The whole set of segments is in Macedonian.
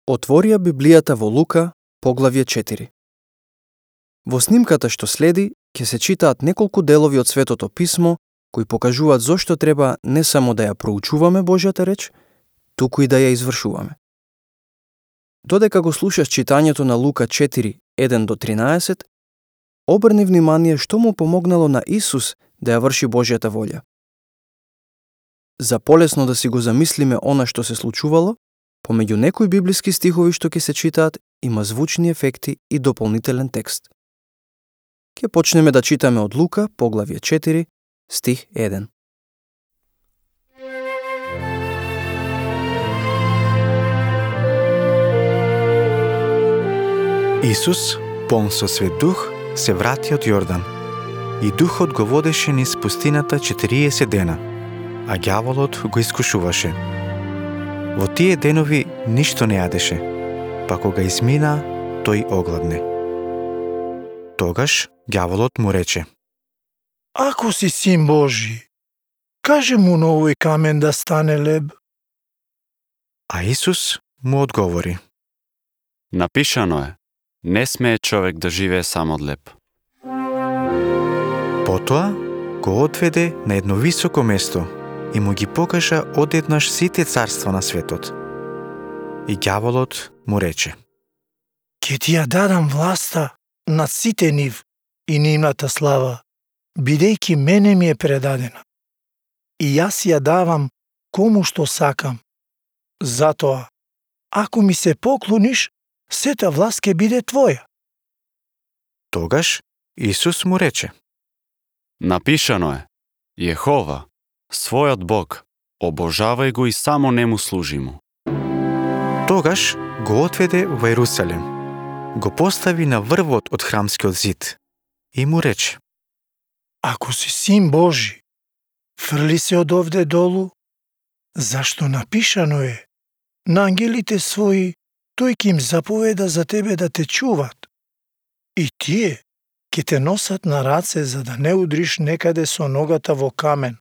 Отворија Библијата во Лука, поглавје 4. Во снимката што следи, ќе се читаат неколку делови од Светото Писмо, кои покажуваат зошто треба не само да ја проучуваме Божјата реч, туку и да ја извршуваме. Додека го слушаш читањето на Лука 4, 1-13, обрни внимание што му помогнало на Исус да ја врши Божјата волја. За полесно да си го замислиме она што се случувало, помеѓу некои библиски стихови што ќе се читаат, има звучни ефекти и дополнителен текст. Ќе почнеме да читаме од Лука, поглавје 4, стих 1. Исус, полн со Свет Дух, се врати од Јордан, и Духот го водеше низ пустината 40 дена, а ѓаволот го искушуваше. Во тие денови ништо не јадеше, па кога измина, тој огладне. Тогаш ѓаволот му рече: Ако си син Божи, кажи му на овој камен да стане леб. А Исус му одговори: Напишано е, не смее човек да живее само од леб. Потоа го одведе на едно високо место и му ги покажа одеднаш сите царства на светот. И ѓаволот му рече: Ке ти ја дадам власта над сите нив и нивната слава, бидејќи мене ми е предадена. И јас ја давам кому што сакам. Затоа, ако ми се поклониш, сета власт ќе биде твоја. Тогаш Исус му рече: Напишано е, Јехова, својот Бог, обожавај го и само нему служи му. Тогаш го отведе во Ерусалем, го постави на врвот од храмскиот зид и му рече: Ако си син Божи, фрли се од овде долу, зашто напишано е, на ангелите своји тој ќе им заповеда за тебе да те чуват. И тие ќе те носат на раце за да не удриш некаде со ногата во камен.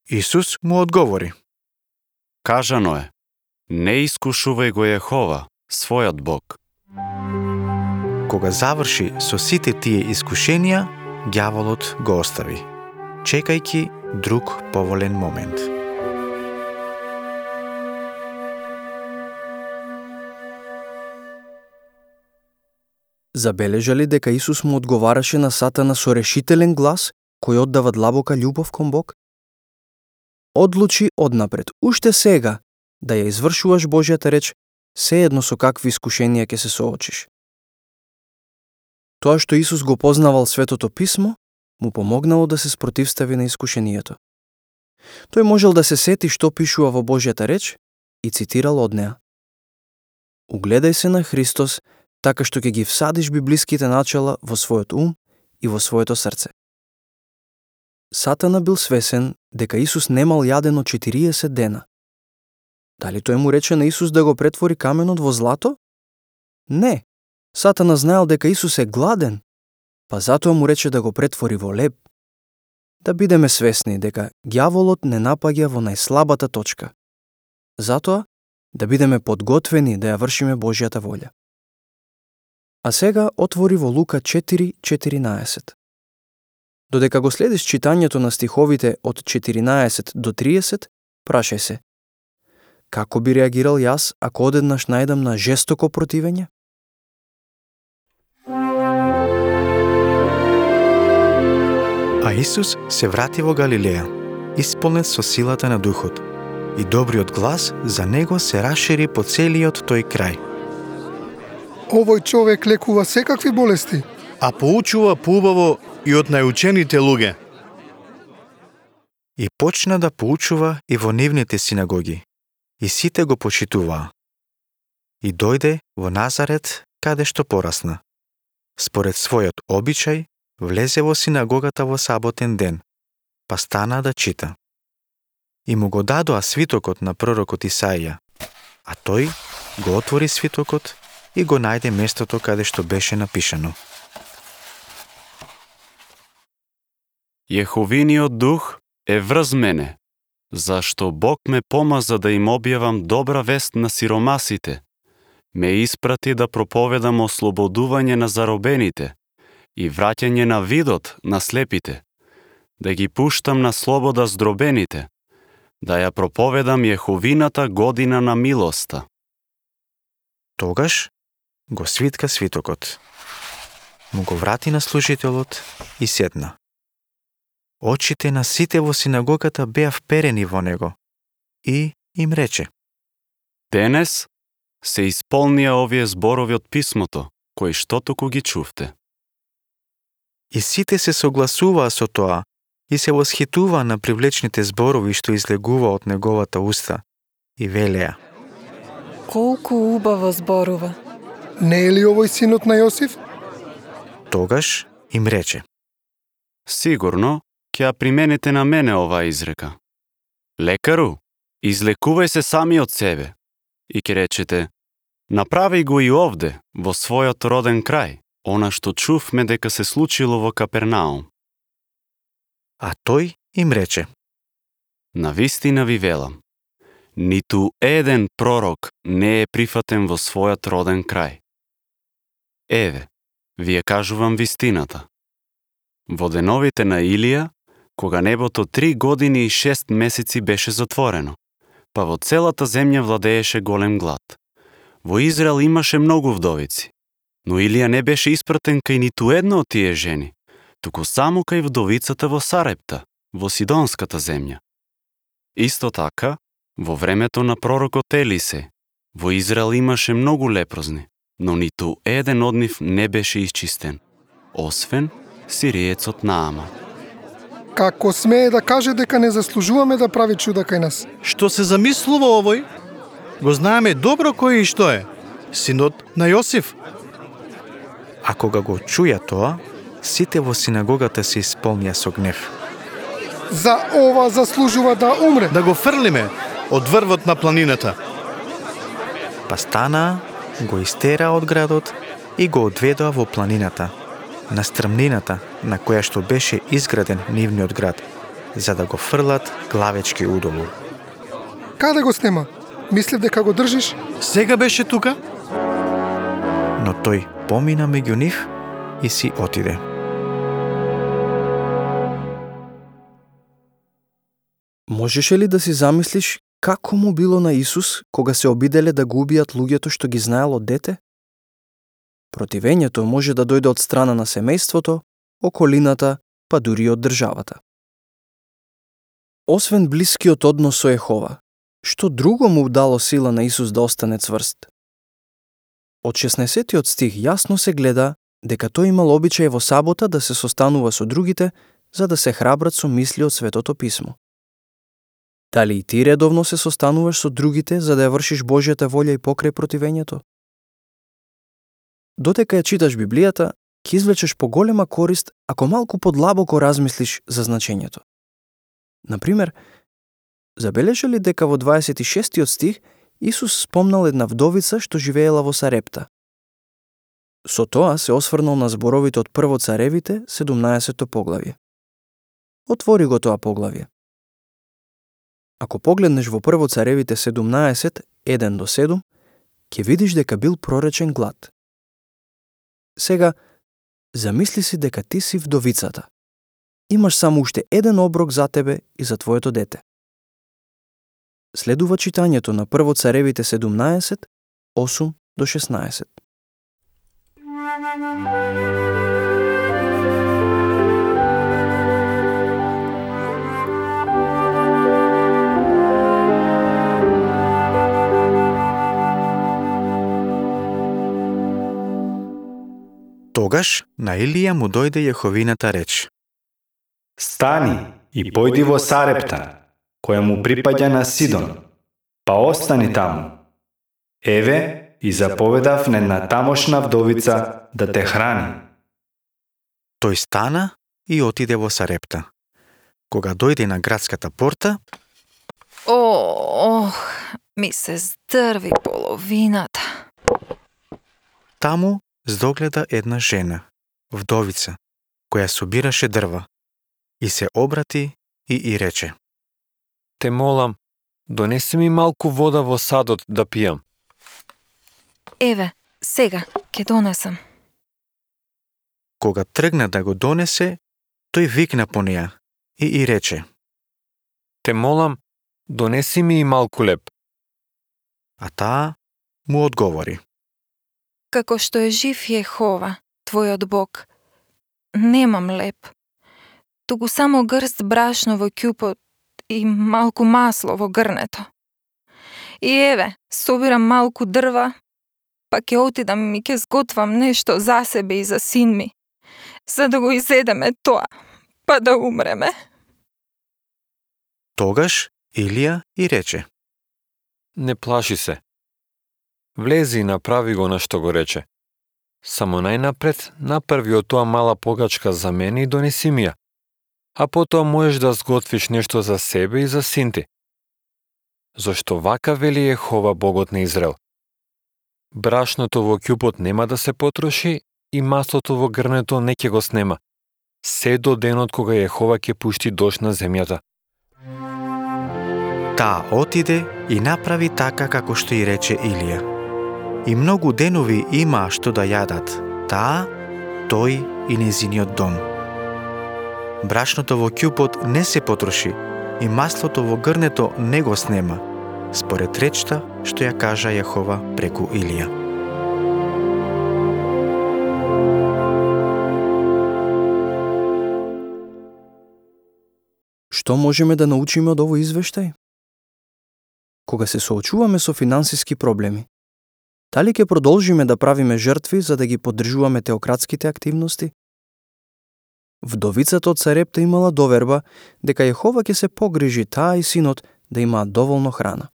Исус му одговори: Кажано е, не искушувај го Јехова, својот Бог. Кога заврши со сите тие искушенија, ѓаволот го остави, чекајќи друг поволен момент. Забележали дека Исус му одговараше на Сатана со решителен глас, кој оддава длабока љубов кон Бог? Одлучи однапред, уште сега, да ја извршуваш Божјата реч, сеедно со какви искушенија ќе се соочиш. Тоа што Исус го познавал Светото Писмо, му помогнало да се спротивстави на искушението. Тој можел да се сети што пишува во Божјата реч и цитирал од неа. Угледај се на Христос, така што ќе ги всадиш библиските начала во својот ум и во своето срце. Сатана бил свесен дека Исус немал јадено 40 дена. Дали тој му рече на Исус да го претвори каменот во злато? Не. Сатана знаел дека Исус е гладен, па затоа му рече да го претвори во леб. Да бидеме свесни дека ѓаволот не напаѓа во најслабата точка. Затоа, да бидеме подготвени да ја вршиме Божјата волја. А сега отвори во Лука 4:14. Додека го следиш читањето на стиховите од 14 до 30, прашај се: како би реагирал јас ако одеднаш најдам на жестоко противење? А Исус се врати во Галилеја, исполнет со силата на Духот, и добриот глас за него се расшири по целиот тој крај. Овој човек лекува секакви болести, а поучува поубаво и од најучените луѓе. И почна да поучува и во нивните синагоги, и сите го почитуваа. И дојде во Назарет, каде што порасна. Според својот обичај, влезе во синагогата во саботен ден, па стана да чита. И му го дадоа свитокот на пророкот Исаија, а тој го отвори свитокот и го најде местото каде што беше напишано: Јеховиниот дух е врз мене, зашто Бог ме помаза да им објавам добра вест на сиромасите, ме испрати да проповедам ослободување на заробените и враќање на видот на слепите, да ги пуштам на слобода здробените, да ја проповедам Јеховината година на милоста. Тогаш го свитка свитокот. Му го врати на служителот и седна. Очите на сите во синагогата беа вперени во него и им рече: Денес се исполнија овие зборови од писмото, кои што току ги чувте. И сите се согласуваа со тоа и се восхитуваа на привлечните зборови што излегува од неговата уста и велеа: Колку убаво зборува. Не е ли овој синот на Јосиф? Тогаш им рече: Сигурно ќе ја примените на мене оваа изрека. Лекару, излекувај се сами од себе. И ќе речете: направи го и овде, во својот роден крај, она што чувме дека се случило во Капернаум. А тој им рече: Навистина ви велам, ниту еден пророк не е прифатен во својот роден крај. Еве, ви ја кажувам вистината. Во деновите на Илија, кога небото 3 години и 6 месеци беше затворено, па во целата земја владееше голем глад. Во Израел имаше многу вдовици, но Илија не беше испратен кај ниту една од тие жени, туку само кај вдовицата во Сарепта, во Сидонската земја. Исто така, во времето на пророкот Елисе, во Израел имаше многу лепрозни, но ниту еден од нив не беше исчистен, освен сириецот Нааман. Како смее да каже дека не заслужуваме да прави чуда кај нас? Што се замислува овој? Го знаеме добро кој и што е. Синот на Јосиф. А кога го чуја тоа, сите во синагогата се исполнија со гнев. За ова заслужува да умре. Да го фрлиме од врвот на планината. Па станаа, го истераа од градот и го одведоа во планината, на стрмнината на која што беше изграден нивниот град, за да го фрлат главечки удолу. Каде го снема? Мислев дека го држиш? Сега беше тука? Но тој помина меѓу нив и си отиде. Можеше ли да си замислиш како му било на Исус кога се обиделе да го убијат луѓето што ги знаел од дете? Противењето може да дојде од страна на семејството, околината, па дури од државата. Освен блискиот однос со Јехова, што друго му дало сила на Исус да остане цврст? Од 16 стих јасно се гледа дека тој имал обичај во сабота да се состанува со другите за да се храбрат со мисли од Светото писмо. Дали и ти редовно се состануваш со другите за да ја вршиш Божјата волја и покрај противењето? Додека ја читаш Библијата, ќе извлечеш поголема корист ако малку подлабоко размислиш за значењето. Например, забележа ли дека во 26 стих Исус спомнал една вдовица што живеела во Сарепта? Со тоа се осврнал на зборовите од Прво царевите, 17 поглавје. Отвори го тоа поглавје. Ако погледнеш во Прво царевите 17, 1 до 7, ќе видиш дека бил проречен глад. Сега, замисли си дека ти си вдовицата. Имаш само уште еден оброк за тебе и за твоето дете. Следува читањето на Прво царевите 17, 8 до 16. Тогаш на Илија му дојде Јеховината реч: Стани и појди во Сарепта, која му припаѓа на Сидон, па остани таму. Еве, и заповедав на една тамошна вдовица да те храни. Тој стана и отиде во Сарепта. Кога дојде на градската порта, Ми се здрви половината. таму здогледа една жена, вдовица, која собираше дрва, и се обрати и рече: Те молам, донеси ми малку вода во садот да пијам. Еве, сега, ќе донесам. Кога тргна да го донесе, тој викна по неја и рече: Те молам, донеси ми и малку леп. А таа му одговори: Како што е жив Јехова, твојот Бог, немам леп, туку само грст брашно во ќупот и малку масло во грнето. И еве, собирам малку дрва, па ќе отидам и ќе сготвам нешто за себе и за син ми, за да го изедеме тоа, па да умреме. Тогаш Илија и рече: Не плаши се. Влези и направи го на што го рече. Само најнапред направи од тоа мала погачка за мене и донеси ми ја. А потоа можеш да сготвиш нешто за себе и за син ти. Зошто вака вели Јехова Богот на Израел: брашното во ќупот нема да се потроши и маслото во грнето не ќе го снема, се до денот кога Јехова ќе пушти дожд на земјата. Таа отиде и направи така како што и рече Илија. И многу денови имаа што да јадат, таа, тој и незиниот дом. Брашното во ќупот не се потроши и маслото во грнето не го снема, според речта што ја кажа Јехова преку Илија. Што можеме да научиме од овој извештај? Кога се соочуваме со финансиски проблеми, дали ќе продолжиме да правиме жртви за да ги поддржуваме теократските активности? Вдовицата од Сарепта имала доверба дека Јехова ќе се погрижи таа и синот да имаат доволно храна.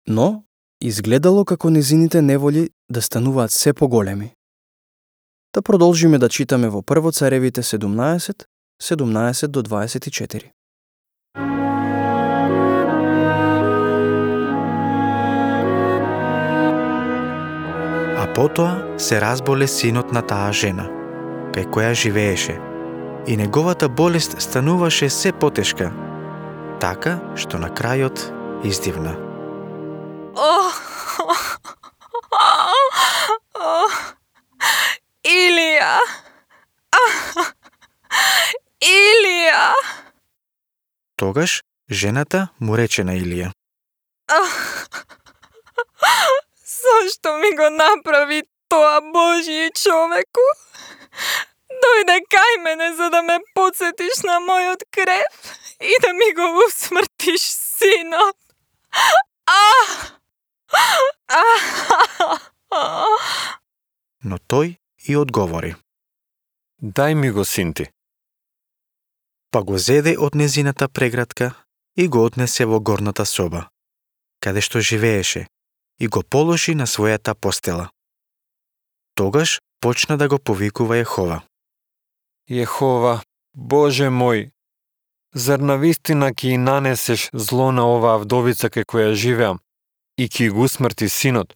Но, изгледало како незините неволи да стануваат се поголеми. Да продолжиме да читаме во Прво Царевите 17, 17 до 24. А потоа се разболе синот на таа жена, кај која живееше, и неговата болест стануваше се потешка, така што на крајот издивна. Илија! Илија! Тогаш жената му рече на Илија: Зошто ми го направи тоа, Божји човеку? Дојде кај мене за да ме подсетиш на мојот крев и да ми го усмртиш синот. Но тој и одговори: Дај ми го син ти. Па го зеде од незината прегратка и го однесе во горната соба, каде што живееше, и го положи на својата постела. Тогаш почна да го повикува Јехова: Јехова, Боже мој, зар навистина ќе и нанесеш зло на оваа вдовица кај која живеам и ќе го усмрти синот?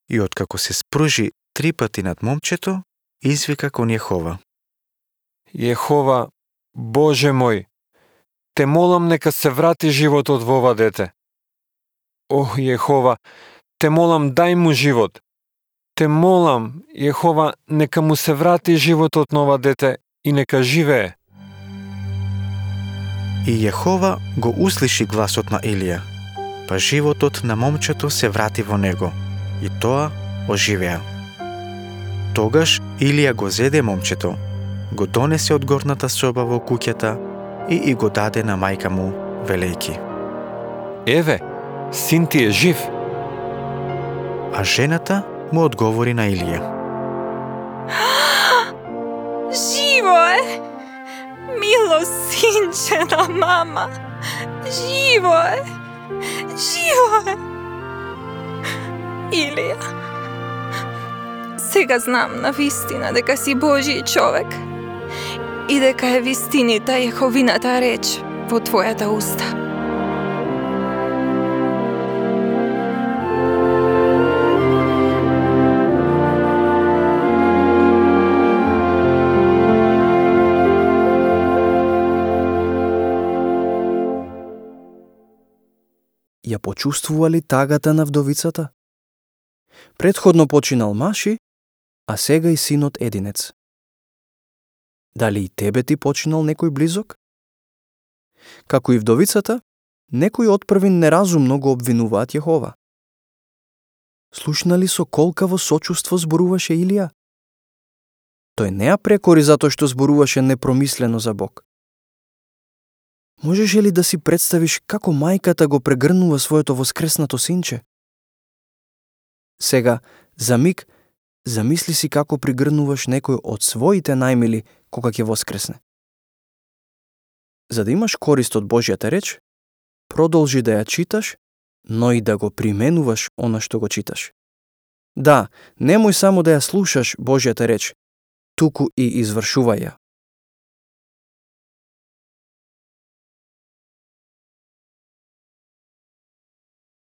И откако се спружи 3 пати над момчето, извика кон Јехова: Јехова, Боже мој, те молам нека се врати животот во ова дете. Ох, Јехова, те молам дај му живот. Те молам, Јехова, нека му се врати животот на ова дете и нека живее. И Јехова го услиши гласот на Илија, па животот на момчето се врати во него, и тоа оживеа. Тогаш Илија го зеде момчето, го донесе од горната соба во куќата и го даде на мајка му, велејки: Еве, син ти е жив. А жената му одговори на Илија: Живо е! Мило синче на мама! Живо е! Живо е! Илија, сега знам на вистина дека си Божји човек и дека е вистинита Јеховината реч во твојата уста. почувствували тагата на вдовицата? Претходно починал маши, а сега и синот единец. Дали и тебе ти починал некој близок? Како и вдовицата, некои отпрвин неразумно го обвинуваат Јехова. Слушнали со колкаво сочувство зборуваше Илија? Тој не ја прекори затоа што зборуваше непромислено за Бог. Можеш ли да си представиш како мајката го прегрнува своето воскреснато синче? Сега, за миг, замисли си како пригрнуваш некој од своите најмили кога ќе воскресне. За да имаш корист од Божјата реч, продолжи да ја читаш, но и да го применуваш она што го читаш. Да, немој само да ја слушаш Божјата реч, туку и извршувај ја.